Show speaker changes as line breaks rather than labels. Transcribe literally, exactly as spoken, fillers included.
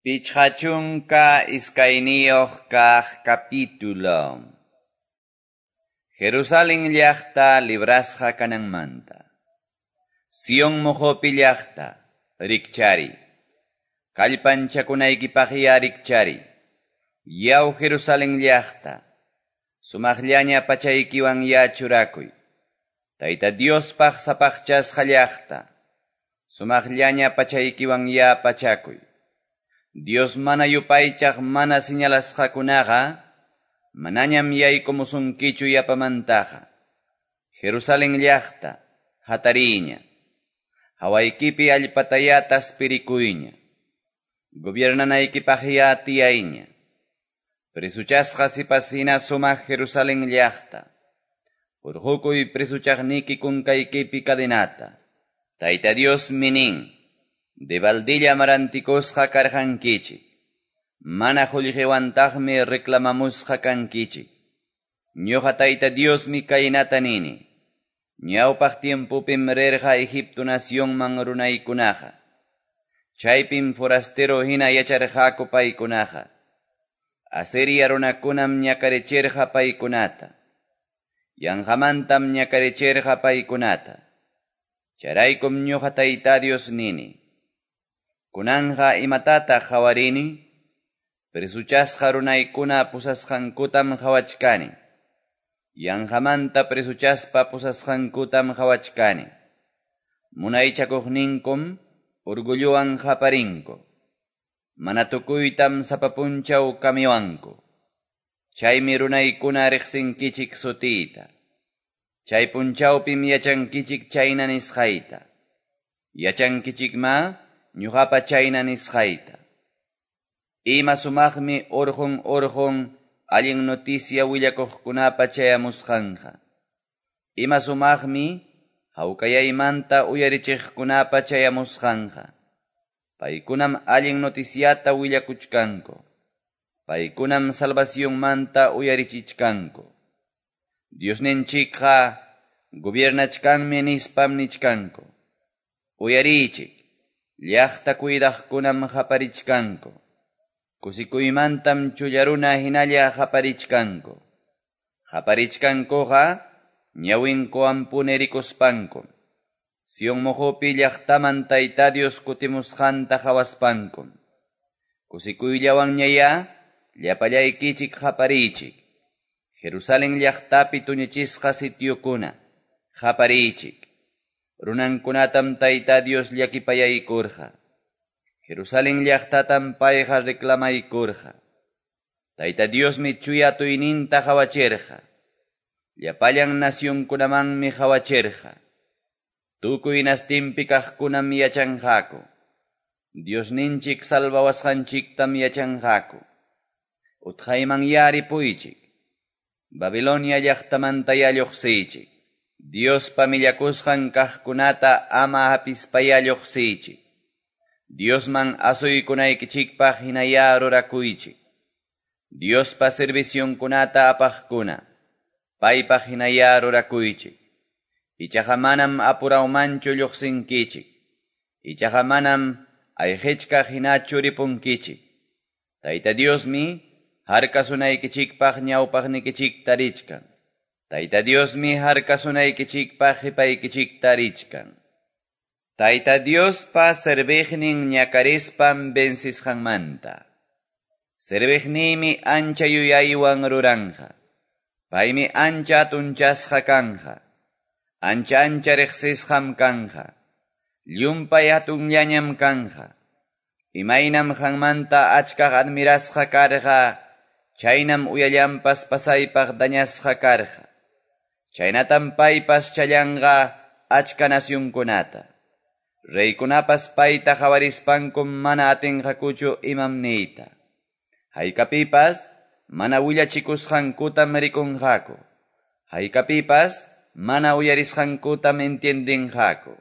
Pichqa chunka iskayniyuq kaq capítulo. Jerusalén llaqta librasqa kananmanta. Sion moqopi llaqta, rikchari. Kallpanchakunaykipaqya rikchari. Yaw Jerusalén llaqta, sumaqllaña pachaykiwan ya churakuy. Tayta Diospaq sapaqchasqa llaqta, sumaqllaña pachaykiwan ya pachakuy. Dios mana yupaychaq mana señalasqakunaqa, manañam yaykumusunkichu yapamantaqa. Jerusalén llaqta, hatariña. Hawaykipi allpataya taspirikuyña. Gobiernanaykipaqya tiyayña. Presuchasqa sipasina sumaq Jerusalén llaqta. Hurqukuy presuchaqniki kunkaykipi cadenata. Tayta Dios minin. Debaldilla marantikusqa karqankichik. Mana qullqiwantaqmi reclamamusqa kankichik. Ñuqa Tayta Diosmi kaynata nini. Ñawpaq tiempopim rirqa Egipto nacionman runaykunaqa. Chaypim forastero hina yacharqaku paykunaqa. Asiria runakunam ñakarichirqa paykunata. Yanqamantam ñakarichirqa paykunata. Chayraykum ñuqa Tayta Dios nini. Kunanqa imatataq qawarini? Presuchasqa runaykuna pusasqankutam qawachkani. Yanqamanta presuchaspa pusasqankutam qawachkani. Munaychakuqninkum orgullowan qaparinku. Mana tukuytam sapa punchaw kamiwanku. Chaymi runaykuna riqsinkichik sutiyta. Chay punchawpim yachankichik chayna nisqayta. Yachankichikma ñuqapa chayna nisqayta. Ima sumaqmi urqun urqun allin noticia willakuqkunapa chayamusqanqa. Ima sumaqmi hawkayaymanta uyarichiqkunapa chayamusqanqa. Paykunam allin noticiata willakuchkanku. Paykunam salvacionmanta uyarichichkanku. Diosninchikqa gobiernachkanmi nispam nichkanku. Uyariychik, llaqta cuidaqkunam qaparichkanku. Kusikuymantam chullaruna hinalla qaparichkanku. Qaparichkankuqa ñawinkuwanpuni rikuspankum. Sion moqopi llaqtaman Tayta Dios kutimusqanta qawaspankum. Kusikuyllawanñayá llapallaykichik qapariychik. Jerusalén llaqtapi tuñichisqa sitiokuna, qapariychik. Runankunatam Tayta Dios llakipayaykurqa. Jerusalén llaqtatam payqa reclamaykurqa. Tayta Diosmi chuya atiyninta qawachirqa. Llapallan nacionkunamanmi qawachirqa. Tukuy nastinpi kaqkunam yachanqaku. Diosninchik salvawasqanchiktam yachanqaku. Utqayman yaripuychik. Babilonia llaqtamantaya lluqsiychik. Diospa millakusqan kaqkunata ama hapispaya lluqsiychik. Diosman asuykunaykichikpaq hinaya rurakuychik. Diospa servicionkunata apaqkuna, paypaq hinaya rurakuychik. Ichaqa manam apurawmanchu lluqsinkichik. Ichaqa manam ayqichkaq hinachu ripunkichik. Tayta Diosmi harkasunaykichikpaq ñawpaqnikichikta richkan. Tayta Diosmi harkasunaykichikpaq qipaykichikta richkan. Tayta Diospa serviqnin ñakarispam vencisqanmanta. Serviqniymi ancha yuyaywan ruranqa. Paymi ancha atunchasqa kanqa. Ancha ancha riqsisqam kanqa. Llumpay hatunllañam kanqa. Imaynam qanmanta achkaq admirasqa karqa, chaynam uyallanpas pasaypaq dañasqa karqa. Chaynatam paypas challanqa achka nacionkunata. Reykunapas payta qawarispankum mana atinqakuchu imam niyta. Haykapipas mana willachikusqankutam rikunqaku. Haykapipas mana uyarisqankutam entiendinqaku.